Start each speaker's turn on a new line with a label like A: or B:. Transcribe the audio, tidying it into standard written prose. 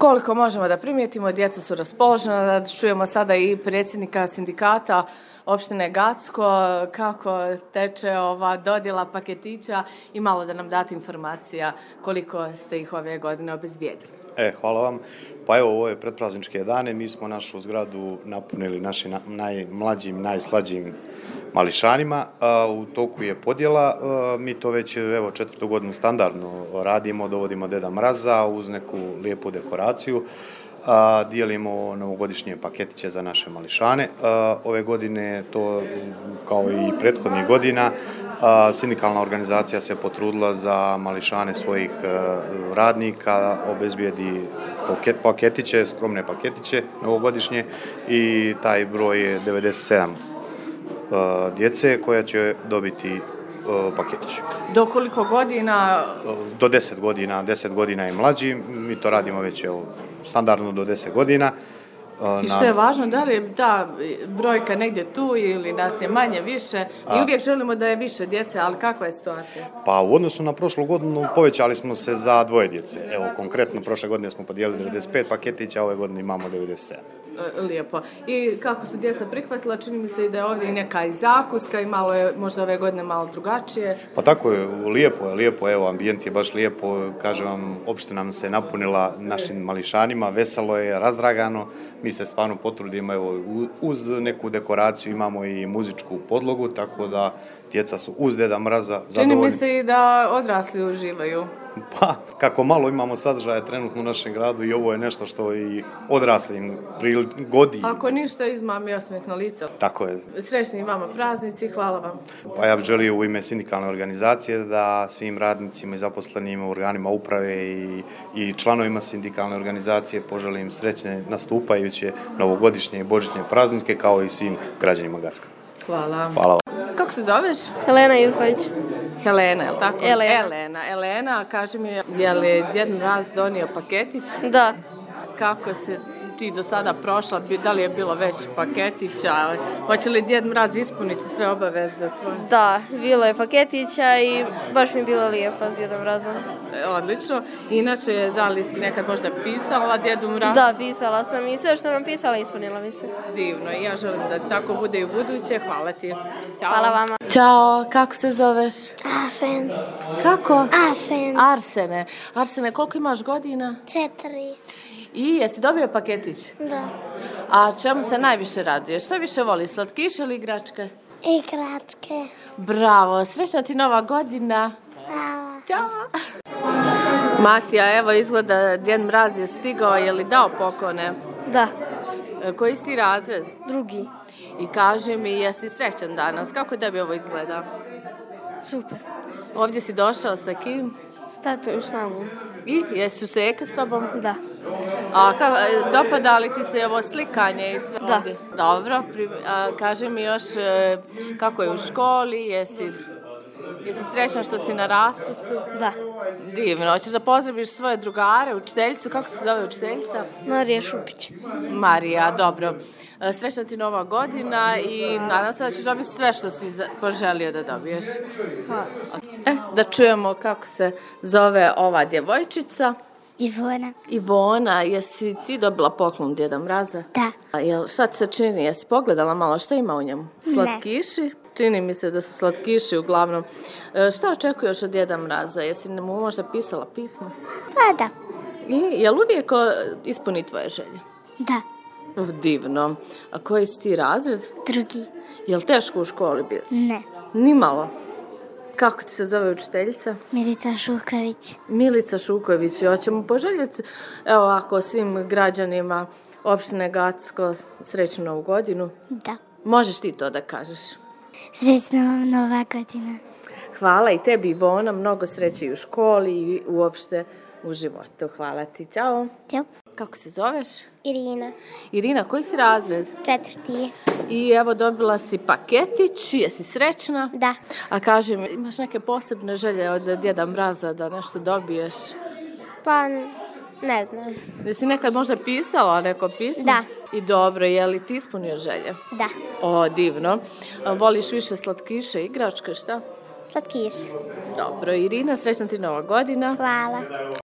A: Koliko možemo da primijetimo, djeca su raspoložena, da čujemo sada i predsjednika sindikata opštine Gacko, kako teče ova dodjela paketića i malo da nam date informacija koliko ste ih ove godine obezbijedili.
B: Hvala vam. Pa evo, ovo je predprazničke dane, mi smo našu zgradu napunili našim najmlađim, najslađim mališanima. U toku je podjela, mi to već evo 4. godinu standardno radimo, dovodimo Deda Mraza uz neku lijepu dekoraciju. Dijelimo novogodišnje paketiće za naše mališane. Ove godine to, kao i prethodnih godina, sindikalna organizacija se potrudila za mališane svojih radnika, obezbijedi paketiće, skromne paketiće novogodišnje i taj broj je 97 djece koja će dobiti paketiće.
A: Do koliko godina?
B: Do 10 godina, 10 godina i mlađi. Mi to radimo već standardno do 10 godina.
A: I što je važno, da li je ta brojka negdje tu ili nas je manje, više? I uvijek želimo da je više djece, ali kakva je situacija?
B: Pa u odnosu na prošlu godinu povećali smo se za 2 djece. Evo, konkretno prošle godine smo podijelili 95 paketića, ove godine imamo 97.
A: Lijepo. I kako su djeca prihvatila, čini mi se i da je ovdje i neka i zakuska i malo je možda ove godine malo drugačije.
B: Pa tako je, lijepo, evo, ambijent je baš lijepo, kažem vam, opština nam se napunila našim mališanima, veselo je, razdragano, mi se stvarno potrudimo, evo, uz neku dekoraciju imamo i muzičku podlogu, tako da djeca su uz Deda Mraza zadovoljni.
A: Čini mi se i da odrasli uživaju.
B: Pa, kako malo imamo sadržaja trenutno u našem gradu i ovo je nešto što i odraslim prigodi.
A: Ako ništa, izmami osmijeh na lice.
B: Tako je.
A: Srećni vama praznici, hvala vam.
B: Pa ja bih želio u ime sindikalne organizacije da svim radnicima i zaposlenima u organima uprave i članovima sindikalne organizacije poželim srećne nastupajuće novogodišnje i božićne praznike kao i svim građanima Gacka.
A: Hvala.
B: Hvala vam.
A: Kako se zoveš?
C: Helena Ivković.
A: Helena, je li tako?
C: Elena.
A: Elena, kaži mi, je li Djed Mraz donio paketić?
C: Da.
A: Kako se ti do sada prošla? Da li je bilo već paketića? Hoće li Djed Mraz ispuniti sve obaveze svoje?
C: Da, bilo je paketića i baš mi je bilo lijepo s Djedom Mrazom.
A: Odlično. Inače, da li si nekad možda pisala Djedu Mrazu?
C: Da, pisala sam i sve što nam pisala ispunila mi se.
A: Divno, i ja želim da tako bude i u buduće. Hvala ti. Ćao.
C: Hvala vama.
A: Ćao, kako se zoveš?
D: Arsen.
A: Kako?
D: Arsen.
A: Arsene, koliko imaš godina?
D: 4.
A: I jesi dobio paketić?
D: Da.
A: A čemu se najviše raduješ? Što više voliš, slatkiše ili igračke?
D: Igračke.
A: Bravo, srećna ti nova godina.
D: Bravo.
A: Ćao. Matija, evo izgleda Djed Mraz je stigao, je li dao poklone?
C: Da.
A: Koji si razred?
C: 2.
A: I kaži mi, jesi srećan danas? Kako tebi ovo izgleda?
C: Super.
A: Ovdje si došao sa kim?
C: S tatom i s mamom.
A: I jesu se Eke s tobom?
C: Da.
A: A dopada li ti se ovo slikanje i sve?
C: Da.
A: Ovdje? Dobro. Kaži mi još kako je u školi, jesi srećan što si na raspustu?
C: Da.
A: Divno. Hoćeš da pozdraviš svoje drugare, učiteljicu? Kako se zove učiteljica?
C: Marija Šupić.
A: Marija, dobro. Srećna ti nova godina i nadam se da ćeš dobiti sve što si poželio da dobiješ.
C: Hvala.
A: Da čujemo kako se zove ova djevojčica.
D: Ivona.
A: Jesi ti dobila poklon Djeda Mraza?
D: Da.
A: Šta ti se čini? Jesi pogledala malo šta ima u njemu? Slatkiši? Čini mi se da su slatkiši uglavnom. Šta očekuješ od Djeda Mraza? Jesi mu možda pisala pismo?
D: Pa da.
A: I jel uvijek ispuni tvoje želje?
D: Da.
A: Divno. A koji si ti razred?
D: 2.
A: Jel teško u školi bilo?
D: Ne.
A: Nimalo. Kako ti se zove učiteljica?
D: Milica Šuković.
A: Milica Šuković. Hoćemo poželjeti, evo ako svim građanima opštine Gacko srećnu novu godinu?
D: Da.
A: Možeš ti to da kažeš?
D: Srećna vam nova godina.
A: Hvala i tebi Ivona, mnogo sreće i u školi i uopšte u životu. Hvala ti, ćao.
D: Ćao.
A: Kako se zoveš?
D: Irina.
A: Irina, koji si razred?
D: 4.
A: I evo dobila si paketić, jesi srećna?
D: Da.
A: A kaži mi, imaš neke posebne želje od Djeda Mraza da nešto dobiješ?
D: Pa, ne znam.
A: Jesi nekad možda pisala neko pismo?
D: Da.
A: I dobro, je li ti ispunio želje?
D: Da.
A: O, divno. Voliš više slatkiše, igračke, šta?
D: Slatkiš.
A: Dobro, Irina, srećna ti nova godina.
D: Hvala.